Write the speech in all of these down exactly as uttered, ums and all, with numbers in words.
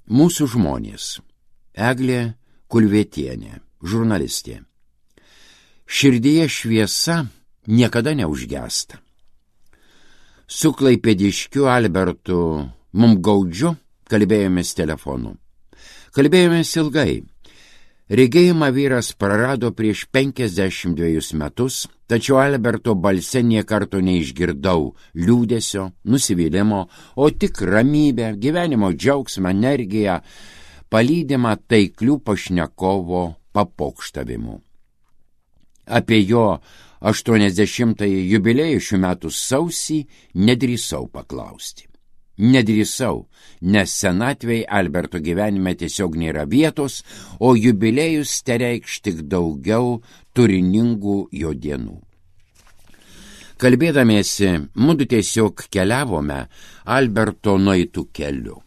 Mūsų žmonės. Eglė Kulvietienė, žurnalistė. Širdyje šviesa niekada neužgęsta. Su klaipėdiškiu Albertu Mumgaudžiu kalbėjomės telefonu. Kalbėjomės ilgai. Regėjimą vyras prarado prieš penkiasdešimt dvejus metus, tačiau Alberto balse nė karto neišgirdau liūdesio, nusivylimo, o tik ramybę, gyvenimo džiaugsmą, energiją, palydimą taiklių pašnekovo papokštavimų. Apie jo aštuoniasdešimtąjį jubiliejų šių metų sausį nedrįsau paklausti. Nedrįsau, nes senatvei Alberto gyvenime tiesiog nėra vietos, o jubiliejus tereikš tik daugiau turiningų jo dienų. Kalbėdamiesi, mudu tiesiog keliavome Alberto nueitų keliu.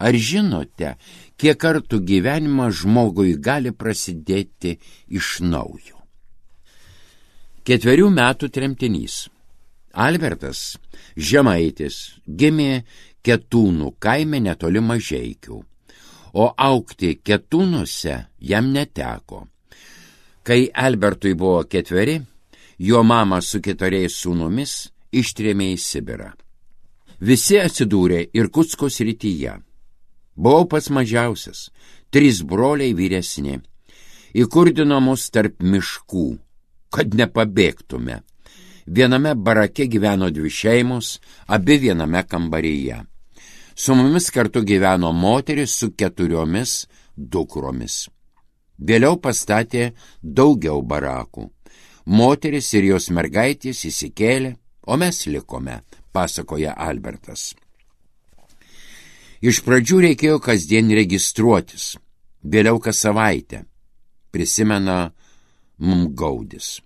Ar žinote, kiek kartų gyvenimas žmogui gali prasidėti iš naujo? Ketverių metų tremtinys. Albertas, žemaitis, gimė Ketūnų kaime netoli Mažeikių, o augti Ketūnuose jam neteko. Kai Albertui buvo ketveri, jo mama su keturiais sūnumis ištrėmė į Sibirą. Visi atsidūrė Irkutsko srityje. Buvau pats mažiausias, trys broliai vyresni. Įkurdino mus tarp miškų, kad nepabėgtume. Viename barake gyveno dvi šeimos, abi viename kambaryje. Su mumis kartu gyveno moteris su keturiomis dukromis. Vėliau pastatė daugiau barakų. Moteris ir jos mergaitės įsikėlė, o mes likome, pasakoja Albertas. Iš pradžių reikėjo kasdien registruotis, vėliau kas savaitę, prisimena Mumgaudis.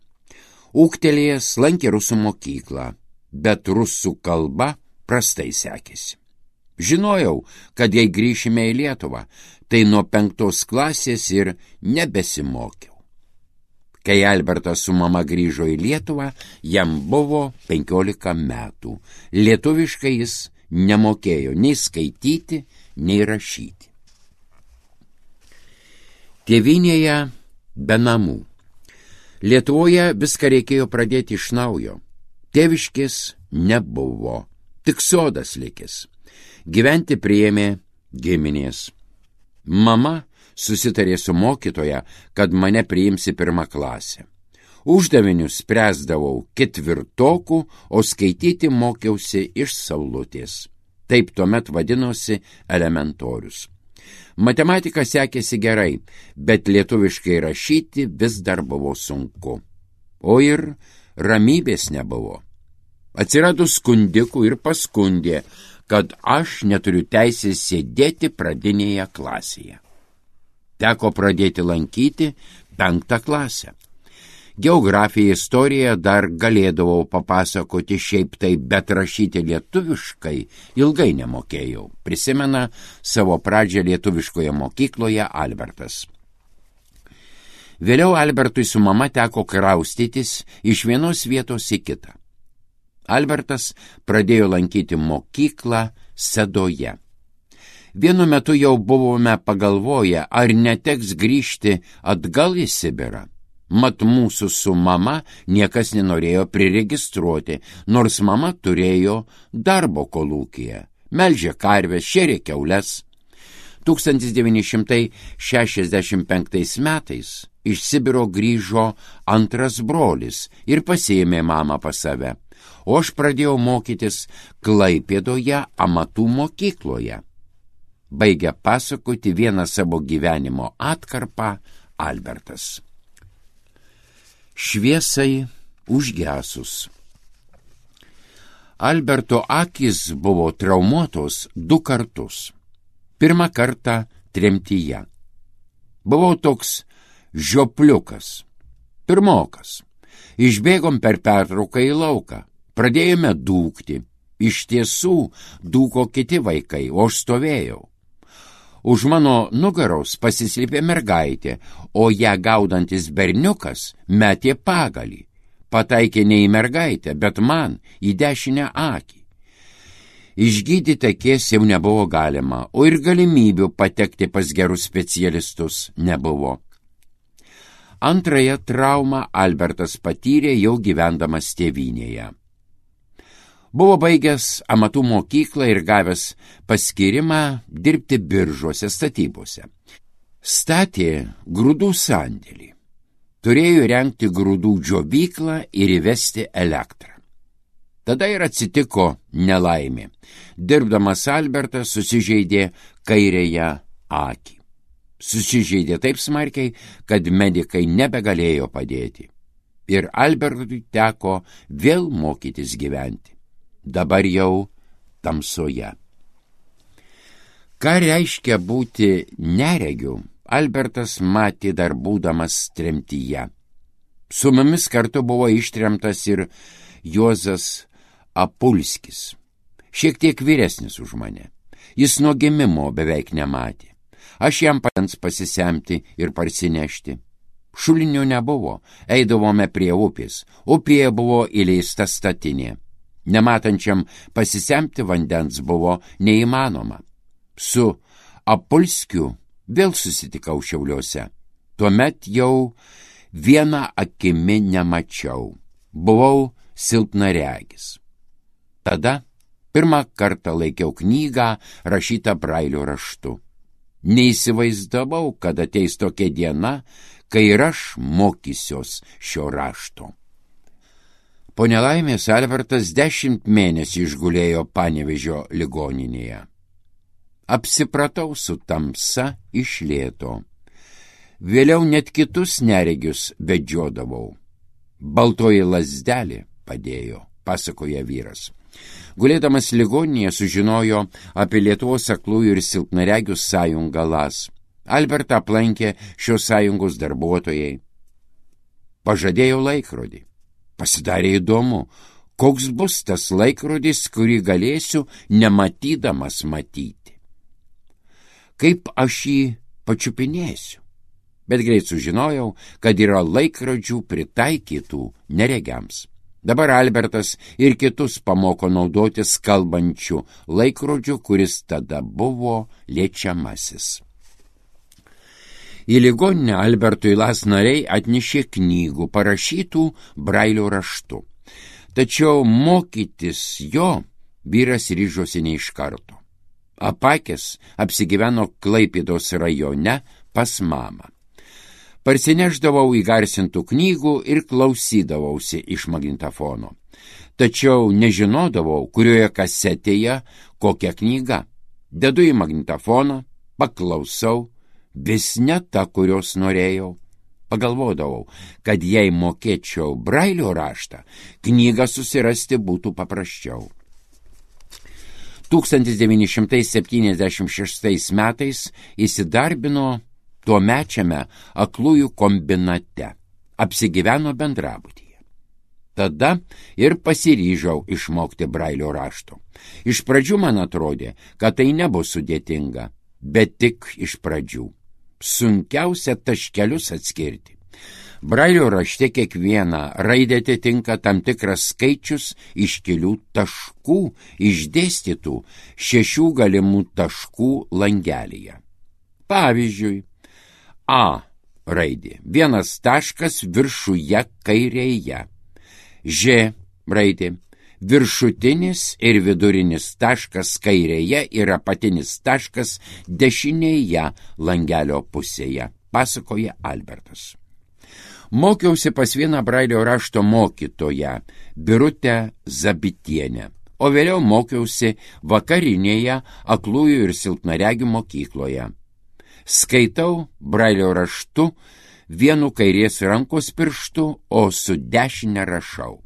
Ūgtelėjęs lankė rusų mokyklą, bet rusų kalba prastai sekėsi. Žinojau, kad jei grįšime į Lietuvą, tai nuo penktos klasės ir nebesimokiau. Kai Albertas su mama grįžo į Lietuvą, jam buvo penkiolika metų. Lietuviškai jis nemokėjo nei skaityti, nei rašyti. Tėvynėje be namų. Lietuvoje viską reikėjo pradėti iš naujo. Tėviškės nebuvo, tik sodas likęs. Gyventi priėmė giminės. Mama susitarė su mokytoja, kad mane priims į pirmą klasę. Uždavinius spręsdavau ketvirtokų, o skaityti mokiausi iš saulutės. Taip tuomet vadinosi elementorius. Matematika sekėsi gerai, bet lietuviškai rašyti vis dar buvo sunku. O ir ramybės nebuvo. Atsirado skundikų ir paskundė, kad aš neturiu teisės sėdėti pradinėje klasėje. Teko pradėti lankyti penktą klasę. Geografiją, istoriją dar galėdavau papasakoti šiaip tai, bet rašyti lietuviškai ilgai nemokėjau, prisimena savo pradžią lietuviškoje mokykloje Albertas. Vėliau Albertui su mama teko kraustytis iš vienos vietos į kitą. Albertas pradėjo lankyti mokyklą Sedoje. Vienu metu jau buvome pagalvoję, ar neteks grįžti atgal į Sibirą. Mat mūsų su mama niekas nenorėjo priregistruoti, nors mama turėjo darbo kolūkyje, melžė karves, šėrė kiaules. tūkstantis devyni šimtai šešiasdešimt penktais metais iš Sibiro grįžo antras brolis ir pasiėmė mamą pas save, o aš pradėjau mokytis Klaipėdoje amatų mokykloje. Baigia pasakoti vieną savo gyvenimo atkarpą Albertas. Šviesai užgesus. Alberto akys buvo traumuotos du kartus. Pirmą kartą tremtyje. Buvau toks žiopliukas, pirmokas. Išbėgom per pertrauką į lauką. Pradėjome dūkti. Iš tiesų dūko kiti vaikai, o aš stovėjau. Už mano nugaros pasislėpė mergaitė, o ją gaudantis berniukas metė pagalį. Pataikė ne į mergaitę, bet man į dešinę akį. Išgydyti akies jau nebuvo galima, o ir galimybių patekti pas gerus specialistus nebuvo. Antrąją traumą Albertas patyrė jau gyvendamas tėvynėje. Buvo baigęs amatų mokyklą ir gavęs paskyrimą dirbti biržuose statybose. Statė grūdų sandėlį. Turėjo rengti grūdų džiovyklą ir įvesti elektrą. Tada ir atsitiko nelaimė. Dirbdamas Albertas susižeidė kairėje akį. Susižeidė taip smarkiai, kad medikai nebegalėjo padėti. Ir Albertui teko vėl mokytis gyventi. Dabar jau tamsoje. Ką reiškia būti neregiu, Albertas matė dar būdamas tremtyje. Su mumis kartu buvo ištremtas ir Juozas Apulskis, šiek tiek vyresnis už mane. Jis nuo gimimo beveik nematė. Aš jam padens pasisemti ir parsinešti. Šulinio nebuvo, eidavome prie upės. Upėje buvo įleista statinė. Nematančiam pasisemti vandens buvo neįmanoma. Su Apulskiu vėl susitikau Šiauliuose. Tuomet jau vieną akimi nemačiau. Buvau silpnaregis. Tada pirmą kartą laikiau knygą rašytą brailio raštu. Neįsivaizdavau, kad ateis tokia diena, kai ir aš mokysiuos šio rašto. Po nelaimės Albertas dešimt mėnesių išgulėjo Panevėžio ligoninėje. Apsipratau su tamsa iš lėto. Vėliau net kitus neregius vedžiodavau. Baltoji lazdelė padėjo, pasakoja vyras. Gulėdamas ligoninėje sužinojo apie Lietuvos aklųjų ir silpnaregių sąjungą L A S. Albertą aplankė šios sąjungos darbuotojai. Pažadėjo laikrodį. Pasidarė įdomu, koks bus tas laikrodis, kurį galėsiu nematydamas matyti. Kaip aš jį pačiupinėsiu. Bet greit sužinojau, kad yra laikrodžių pritaikytų neregiams. Dabar Albertas ir kitus pamoko naudotis kalbančių laikrodžių, kuris tada buvo liečiamasis. Į ligoninę Albertui L A S nariai atnešė knygų parašytų brailio raštu. Tačiau mokytis jo vyras ryžosi ne iš karto. Apakęs apsigyveno Klaipėdos rajone pas mamą. Parsineždavau įgarsintų knygų ir klausydavausi iš magnetofono. Tačiau nežinodavau, kurioje kasetėje kokia knyga. Dedu į magnetofoną, paklausau, vis ne ta, kurios norėjau. Pagalvodavau, kad jei mokėčiau brailio raštą, knygą susirasti būtų paprasčiau. tūkstantis devyni šimtai septyniasdešimt šeštais metais įsidarbino tuomečiame aklųjų kombinate, apsigyveno bendrabutyje. Tada ir pasiryžau išmokti brailio rašto. Iš pradžių man atrodė, kad tai nebus sudėtinga, bet tik iš pradžių. Sunkiausia taškelius atskirti. Brailio rašte kiekviena raidė atitinka tam tikras skaičius iškilių taškų išdėstytų šešių galimų taškų langelyje. Pavyzdžiui, A raidė, vienas taškas viršuje kairėje. Ž raidė, viršutinis ir vidurinis taškas kairėje ir apatinis taškas dešinėje langelio pusėje, pasakoja Albertas. Mokiausi pas vieną brailio rašto mokytoją, Birutę Zabitienę, o vėliau mokiausi vakarinėje aklųjų ir silpnaregių mokykloje. Skaitau brailio raštu vienu kairės rankos pirštu, o su dešinė rašau.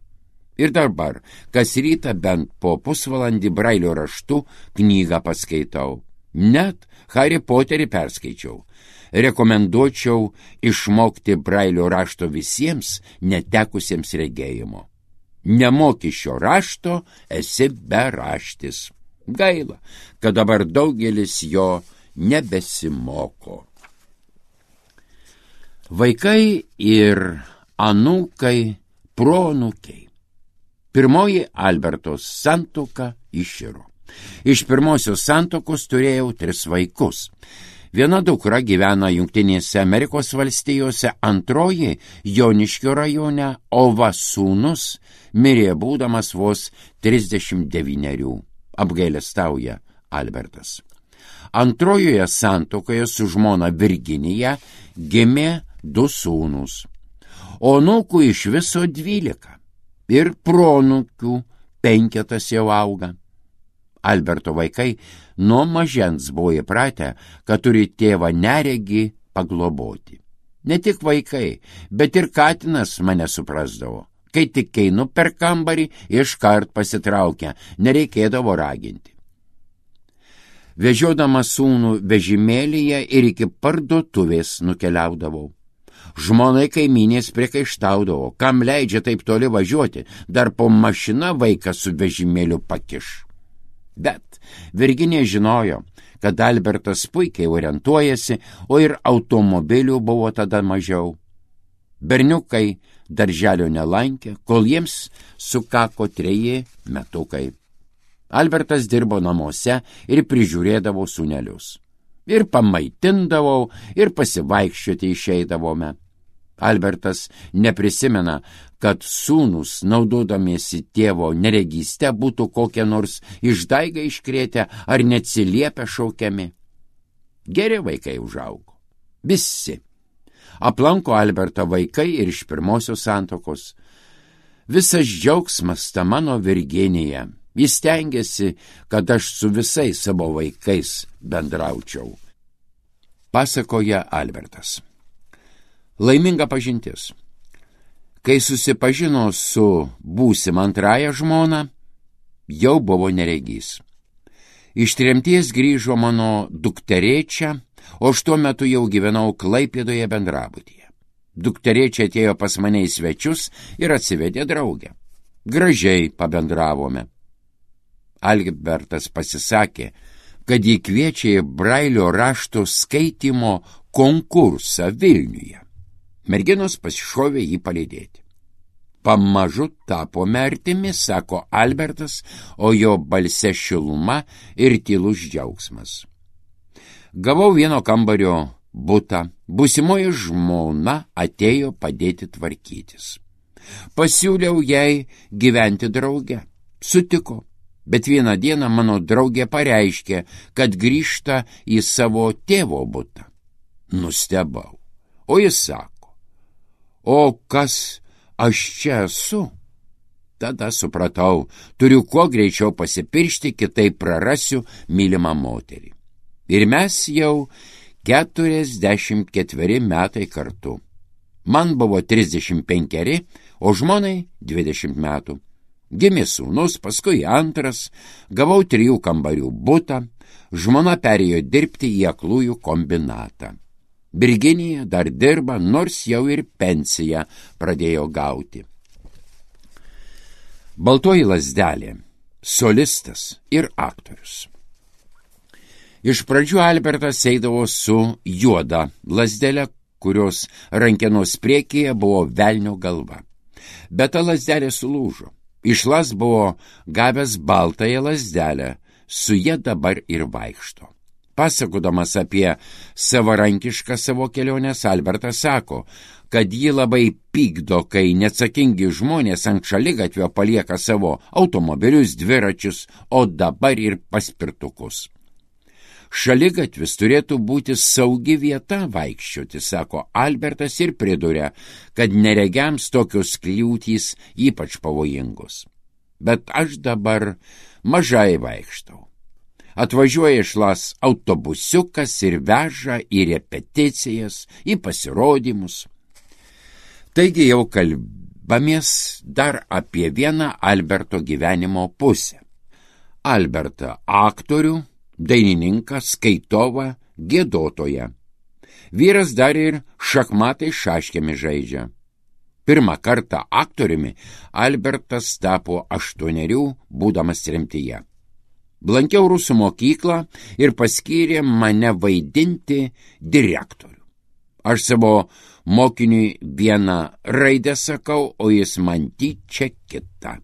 Ir dabar, kas rytą bent po pusvalandį brailio raštu knygą paskaitau. Net Harry Potterį perskaičiau. Rekomenduočiau išmokti brailio rašto visiems netekusiems regėjimo. Nemoki šio rašto, esi beraštis. Gaila, kad dabar daugelis jo nebesimoko. Vaikai ir anūkai, proanūkiai. Pirmoji Albertos santuoka iširo. Iš pirmosios santuokos turėjau tris vaikus. Viena dukra gyvena Jungtinėse Amerikos valstijose, antroji Joniškio rajone, o va sūnus mirė būdamas vos trisdešimt devynerių, apgailestauja Albertas. Antrojoje santuokoje su žmona Virginija gimė du sūnus, o anūkų iš viso dvylika ir proanūkių penketas jau auga. Alberto vaikai nuo mažens buvo įpratę, kad turi tėvą neregį pagloboti. Ne tik vaikai, bet ir katinas mane suprasdavo. Kai tik einu per kambarį, iškart pasitraukia, nereikėdavo raginti. Vežiodamas sūnų vežimėlyje ir iki parduotuvės nukeliaudavau. Žmonai kaimynės priekaištaudavo, kam leidžia taip toli važiuoti, dar po mašina vaiką su vežimėliu pakiš. Bet Virginija žinojo, kad Albertas puikiai orientuojasi, o ir automobilių buvo tada mažiau. Berniukai darželio nelankė, kol jiems sukako treji metukai. Albertas dirbo namuose ir prižiūrėdavo sūnelius. Ir pamaitindavau, ir pasivaikščioti išeidavome. Albertas neprisimena, kad sūnus, naudodamiesi tėvo neregystę, būtų kokią nors išdaigą iškrėtę ar neatsiliepę šaukiami. Geri vaikai užaugo. Visi. Aplanko Albertą vaikai ir iš pirmosios santuokos. Visas džiaugsmas ta mano Virginija. Jis stengiasi, kad aš su visais savo vaikais bendraučiau. Pasakoja Albertas. Laiminga pažintis. Kai susipažino su būsima antraja žmona, jau buvo neregys. Iš tremties grįžo mano dukterėčia, o aš tuo metu jau gyvenau Klaipėdoje bendrabutyje. Dukterėčia atėjo pas mane į svečius ir atsivedė draugę. Gražiai pabendravome. Albertas pasisakė, kad jį kviečia į Brailio rašto skaitymo konkursą Vilniuje. Merginos pasišovė jį palydėti. Pamažu tapome artimi, sako Albertas, o jo balse šiluma ir tylus džiaugsmas. Gavau vieno kambario butą, būsimoji žmona atėjo padėti tvarkytis. Pasiūliau jai gyventi drauge. Sutiko, bet vieną dieną mano draugė pareiškė, kad grįžta į savo tėvo butą. Nustebau, o jis sako, o kas aš čia esu? Tada supratau, turiu kuo greičiau pasipiršti, kitaip prarasiu mylimą moterį. Ir mes jau keturiasdešimt ketveri metai kartu. Man buvo trisdešimt penkeri, o žmonai dvidešimt metų. Gimė sūnus, paskui antras, gavau trijų kambarių butą, žmona perėjo dirbti į aklųjų kombinatą. Virginija dar dirba, nors jau ir pensiją pradėjo gauti. Baltoji lazdelė, solistas ir aktorius. Iš pradžių Albertas eidavo su juoda lazdele, kurios rankenos priekyje buvo velnio galva. Bet ta lazdelė sulūžo. Išlas buvo gavęs baltąją lazdelę, su ja dabar ir vaikšto. Pasakodamas apie savarankišką savo keliones, Albertas sako, kad jį labai pykdo, kai neatsakingi žmonės ant šaligatvio palieka savo automobilius, dviračius, o dabar ir paspirtukus. Šaligatvis turėtų būti saugi vieta vaikščioti, sako Albertas ir priduria, kad neregiams tokios kliūtys ypač pavojingos. Bet aš dabar mažai vaikštau. Atvažiuoja išlas autobusiukas ir veža į repeticijas, į pasirodymus. Taigi jau kalbamės dar apie vieną Alberto gyvenimo pusę. Albertą aktorių, dainininką, skaitovą, giedotoją. Vyras dar ir šachmatai šaškėmis žaidžia. Pirmą kartą aktoriumi Albertas tapo aštuonerių, būdamas tremtyje. Blankiau rusų mokyklą ir paskyrė mane vaidinti direktorių. Aš savo mokiniui vieną raidę sakau, o jis man tyčia kitą.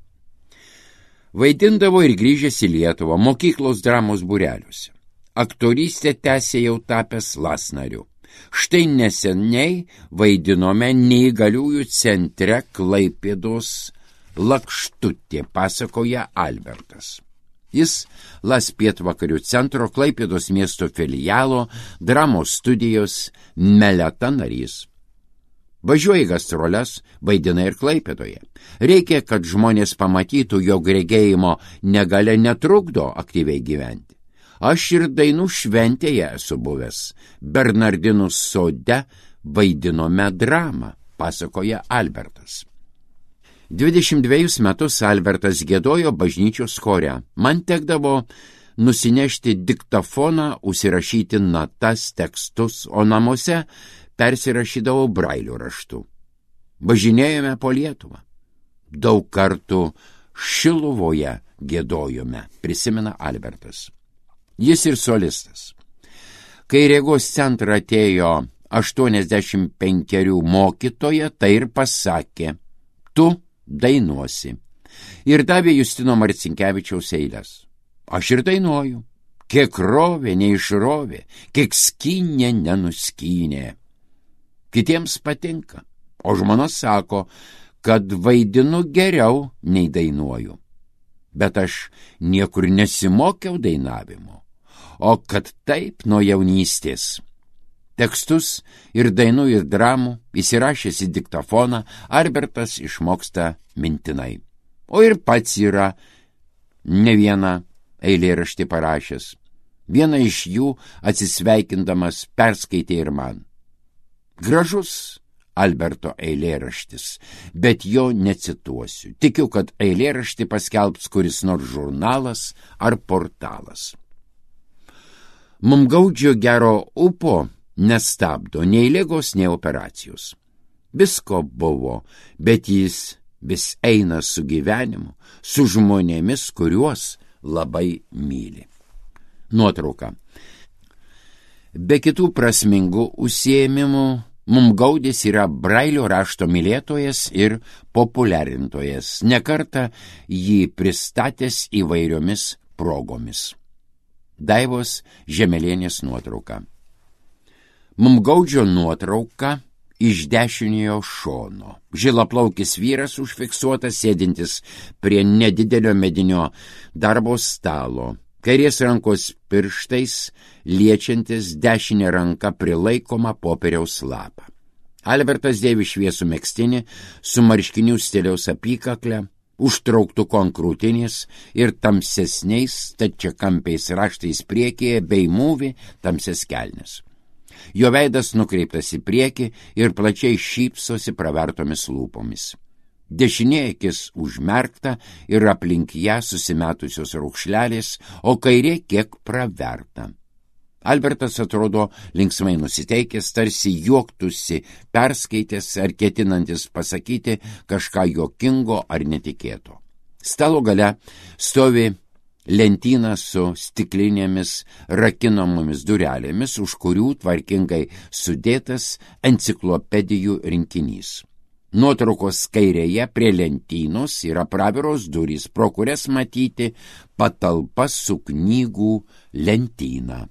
Vaidindavo ir grįžęs į Lietuvą mokyklos dramos būreliuose. Aktorystę tęsė jau tapęs lasnariu. Štai neseniai vaidinome neįgaliųjų centre Klaipėdos Lakštutė, pasakoja Albertas. Jis Las pietvakarių centro Klaipėdos miesto filialo dramos studijos Meleta narys. Važiuoja į gastroles, vaidina ir Klaipėdoje. Reikia, kad žmonės pamatytų, jog regėjimo negalia netrukdo aktyviai gyventi. Aš ir dainų šventėje esu buvęs. Bernardinų sode vaidinome dramą, pasakoja Albertas. dvidešimt dvejus metus Albertas giedojo bažnyčios chore. Man tekdavo nusinešti diktafoną, užsirašyti natas, tekstus, o namuose persirašydavau brailio raštu. Važinėjome po Lietuvą. Daug kartų Šiluvoje giedojome, prisimena Albertas. Jis ir solistas. Kai regos centrą atėjo aštuoniasdešimt penkerių mokytoja, tai ir pasakė: tu dainuosi. Ir davė Justino Marcinkevičiaus eiles. Aš ir dainuoju. Kiek rovė, neišrovė, kiek skynė, nenuskynė. Kitiems patinka, o žmona sako, kad vaidinu geriau nei dainuoju. Bet aš niekur nesimokiau dainavimo, o kad taip nuo jaunystės. Tekstus ir dainų ir dramų įsirašęs į diktafoną Albertas išmoksta mintinai. O ir pats yra ne vieną eilėraštį parašęs. Vieną iš jų atsisveikindamas perskaitė ir man. Gražus Alberto eilėraštis, bet jo necituosiu. Tikiu, kad eilėraštį paskelbs kuris nors žurnalas ar portalas. Mumgaudžio gero upo nestabdo nei ligos, nei operacijos. Visko buvo, bet jis vis eina su gyvenimu, su žmonėmis, kuriuos labai myli. Nuotrauka. Be kitų prasmingų užsiėmimų, Mumgaudis yra brailio rašto mylėtojas ir populiarintojas, nekartą jį pristatęs įvairiomis progomis. Daivos Žemelienės nuotrauka. Mumgaudžio nuotrauka iš dešiniojo šono. Žilaplaukis vyras užfiksuotas sėdintis prie nedidelio medinio darbo stalo. Kairės rankos pirštais liečiantis dešinę ranką prilaikomą popieriaus lapą. Albertas dėvi šviesų megztinį su marškinių stiliaus apykaklę, užtrauktuku ant krūtinės ir tamsesniais stačiakampiais raštais priekyje bei mūvi tamsias kelnes. Jo veidas nukreiptas į priekį ir plačiai šypsosi pravertomis lūpomis. Dešinė akis užmerkta ir aplink ją susimetusios raukšlelės, o kairė kiek praverta. Albertas atrodo linksmai nusiteikęs, tarsi juoktųsi, perskaitęs ar ketinantis pasakyti kažką juokingo ar netikėto. Stalo gale stovi lentyna su stiklinėmis rakinamomis durelėmis, už kurių tvarkingai sudėtas enciklopedijų rinkinys. Nuotraukos kairėje prie lentynos yra praviros durys, pro kurias matyti patalpa su knygų lentyna.